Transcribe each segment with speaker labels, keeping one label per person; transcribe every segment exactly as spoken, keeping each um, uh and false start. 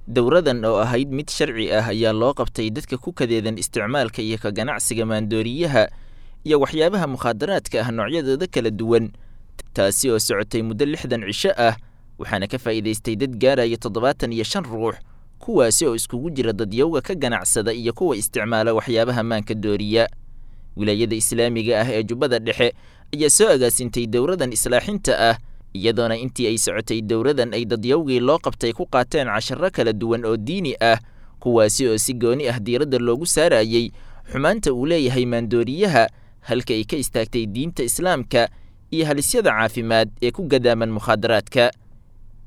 Speaker 1: Dowradan oo ahayd mid sharci ah ayaa loo qabtay dadka ku kadeedan isticmaalka iyo ka ganacsiga maandooriyaha iyo waxyaabaha mukhaadaraadka ah noocyadooda kala duwan, taasi oo socotay muddo lixdan cisho ah, waxaana ka faa'iidaystay dad gaaraya toddobaatan iyo shan ruux, kuwaasi oo iskugu jira dadyowga ka ganacsada iyo kuwa isticmaala waxyaabaha maanka dooriya. Wilaayada islaamiga ah ee Jubbada Dhexe ayaa soo agaasintay dowradan islaaxinta ah, iyadoona intii ay socotay dowradan ay dadyowgii loo qabtay ku qaateen casharro kala duwan oo diini ah, kuwaasi oo si gooni ah diiradda loogu saarayey xumaanta uu leeyahay maandooriyaha, halka ay ka istaagtay diinta islaamka iyo halisyada caafimaad ee ku gadaaman mukhaadaraadka.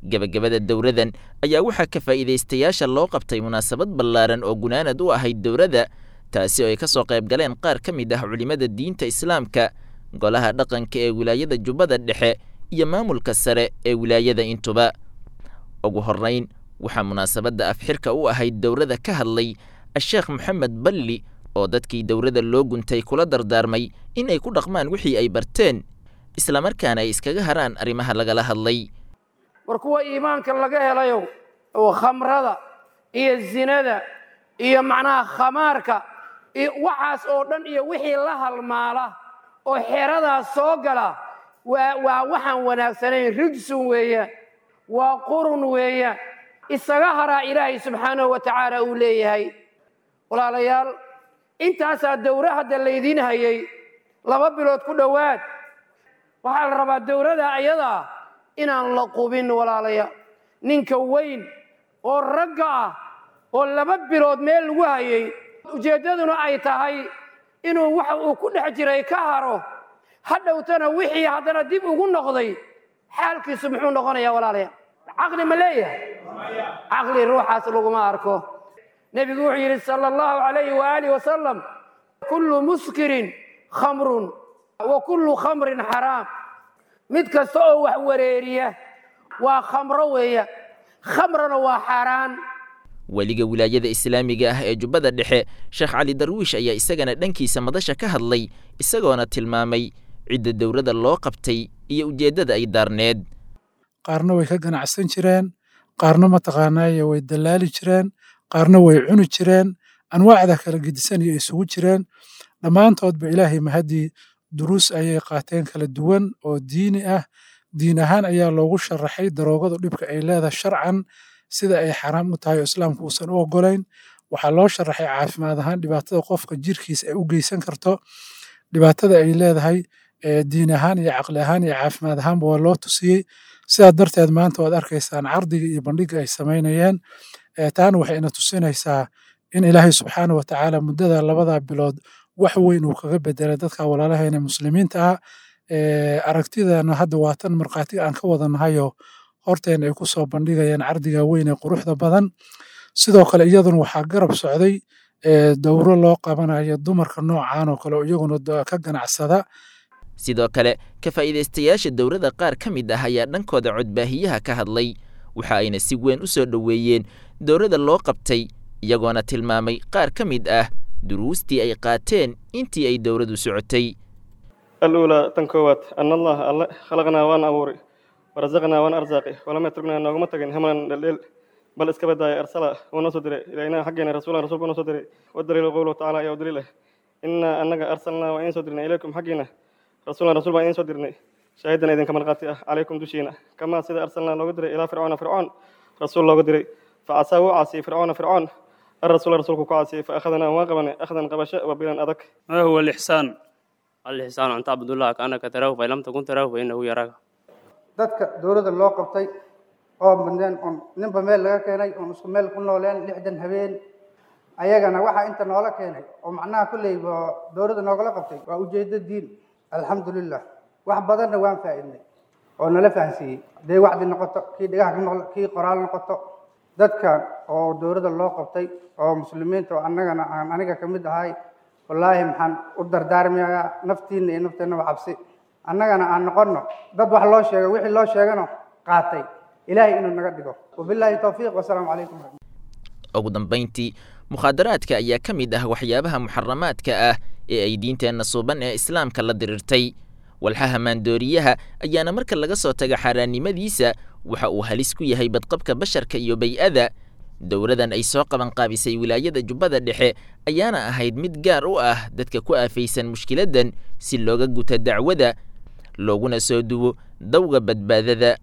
Speaker 1: Gabagabada dowradan ayaa waxaa ka faa'iidaystayaasha loo qabtay munaasabad ballaaran oo gunaanad u ahayd dowrada, taasi oo ay ka soo qayb galeen qaar ka mid ah culimmada diinta islaamka, golaha dhaqanka ee wilaayada Jubbada Dhexe iyo maamulka sare ee wilaayada intuba. Ugu horrayn waxaa munaasabadda afxirka u ahayd dowrada ka hadlay Asheekh Maxamed Balli, oo dadkii dowrada loo guntay kula dardaarmay in ay ku dhaqmaan wixii ay barteen, islamarkaana ay iskaga haraan arrimaha lagala hadlay.
Speaker 2: War kuwa iimaanka laga helayo oo khamrada iyo zinada iyo macnaha khamaarka iyo waxaas oo dhan iyo wixii la halmaala oo xeradaas soo gala, waa waa waxaan wanaagsanayn, rijsun weeyaan, waa qurun weeyaan, isaga haraa Ilaahay subxaanahu wa tacaala uu leeyahay. Walaalayaal, intaasaa dowra hadda laydiin hayay laba bilood ku dhowaad. Waxaa la rabaa dowrada ayadaa inaan la qubin. Walaalayaal, ninka weyn oo ragga ah oo laba bilood meel lagu hayay, ujeeddaduna ay tahay inuu waxa uu ku dhex jiray ka haro, hadhowtana wixii haddana dib ugu noqday, xaalkiisu muxuu noqonayaa? Walaalayaal, caqli ma leeyahay? Caqli ruuxaas laguma arko. Nebigu wuxuu yidhi sala allahu calayhi waaalih wasalam: kullu muskirin khamrun wa kullu khamrin xaraam. Mid kasta oo wax wareeriya waa khamro weeya, khamrana waa xaaraan.
Speaker 1: Weliga wilaayada islaamiga ah ee Jubbada Dhexe, Sheekh Cali Darwiish, ayaa isagana dhankiisa madasha ka hadlay, isagoona tilmaamay cidda dowladda loo qabtay iyo ujeeddada ay daarneed.
Speaker 3: Qaarna way ka ganacsan jireen, qaarna mataqaanaaye way dallaali jireen, qaarna way cuni jireen, anwaacda kala gedisan iyo isugu jireen. Dhammaantoodba Ilaahay mahaddii duruus ayay qaateen kala duwan oo diini ah. Diin ahaan ayaa loogu sharaxay daroogadu dhibka ay leedahay sharcan, sida ay xaraam u tahay oo islaamku uusan u oggolayn. Waxaa loo sharaxay caafimaad ahaan dhibaatada qofka jirkiisa ay u geysan karto, dhibaatada ay leedahay diin ahaan iyo caqli ahaan iyo caafimaad ahaanba waa loo tusiyey. Sidaa darteed maanta waad arkaysaan cardiga iyo bandhiga ay samaynayeen. Taana waxay ina tusinaysaa in Ilaahay subxaana wa tacaala muddada labada bilood wax weyn uu kaga bedelay dadka walaalaheena muslimiinta ah. Aragtidana hadda waa tan markhaatiga aan ka wadanahayo horteena ay ku soo bandhigayaan cardiga weyn ee quruxda badan. Sidoo kale iyaduna waxaa garab socday dowro loo qabanayo dumarka noocan oo kale oo iyaguna ka ganacsada.
Speaker 1: Sidoo kale ka faa'iidaystayaasha dowladda qaar ka mid ah ayaa dhankooda codbaahiyaha ka hadlay, waxa ayna si weyn u soo dhoweeyeen dowladda loo qabtay, iyagoona tilmaamay qaar ka mid ah duruustii ay qaateen intii ay dowladdu socotay.
Speaker 4: Aluulaa, tan koowaad, an allaha alle khalaqnaa waan abuuray, warasaqnaa waan arsaaqay, walam yatruknaa nooguma tagin hamlan dheldheel, bal iska badaaya arsala wuu noo soo diray ilaynaa xaggeena rasuulan rasuulku noo soo diray. Wadaliilu qowluhu tacaala ayaa u daliil ah: innaa annaga arsalnaa waan idiin soo dirnay ilaykum xaggiina rasuulan rasuul baan idiin soo dirnay, shaahidan idinka markhaati ah calaykum dushiina, kamaa sida arsalnaa looga diray ilaa fircoona fircoon rasuul looga diray. Facasaa wuu caasiyey fircoona fircoon الرسول رسولك كعاسي، فأخذنا واقبنا أخذا قبشة وبلا أدك.
Speaker 5: ما هو الإحسان؟
Speaker 6: الإحسان أن تعبد الله كأنك تراه، فإن لم تكن تراه فإنه يراك.
Speaker 7: Dadka dowladda loo qabtay oo mudeen oon ninba meel laga keenay oon isku meel ku nooleen lixdan habeen, ayagana waxaa inta noola keenay oo macnaha kolleyba dowladda noogala qabtay waa ujeeddo diin. Alxamdulilah, wax badanna waan faa'iidnay oo nala fahansiiyey, hadday wacdi noqoto, kii dhagaha ka noqdo, kii qoraal noqoto. Dadkan oo dowladda loo qabtay oo muslimiinta oo annagana aan aniga ka mid ahay, wallaahi maxaan u dardaarmayaa naftiinna iyo nafteennaba cabsi, annagana aan noqonno dad wax loo sheego, wixii loo sheegano qaatay, Ilaahay inuu naga dhigo. Wabilaahi towfiiq, wasalaamu calaykum.
Speaker 1: Ugu dambayntii, mukhaadaraadka ayaa ka mid ah waxyaabaha muxaramaadka ah ee ay diinteenna suuban ee islaamka la dirirtay. Walxaha maandooriyaha ayaana marka laga soo taga xaaraannimadiisa waxa uu halis ku yahay badqabka basharka iyo bay-ada. Dowladan ay soo qabanqaabisay wilaayada Jubbada Dhexe ayaana ahayd mid gaar u ah dadka ku aafaysan mushkiladan si looga guto dacwada, looguna soo duwo dawga badbaadada.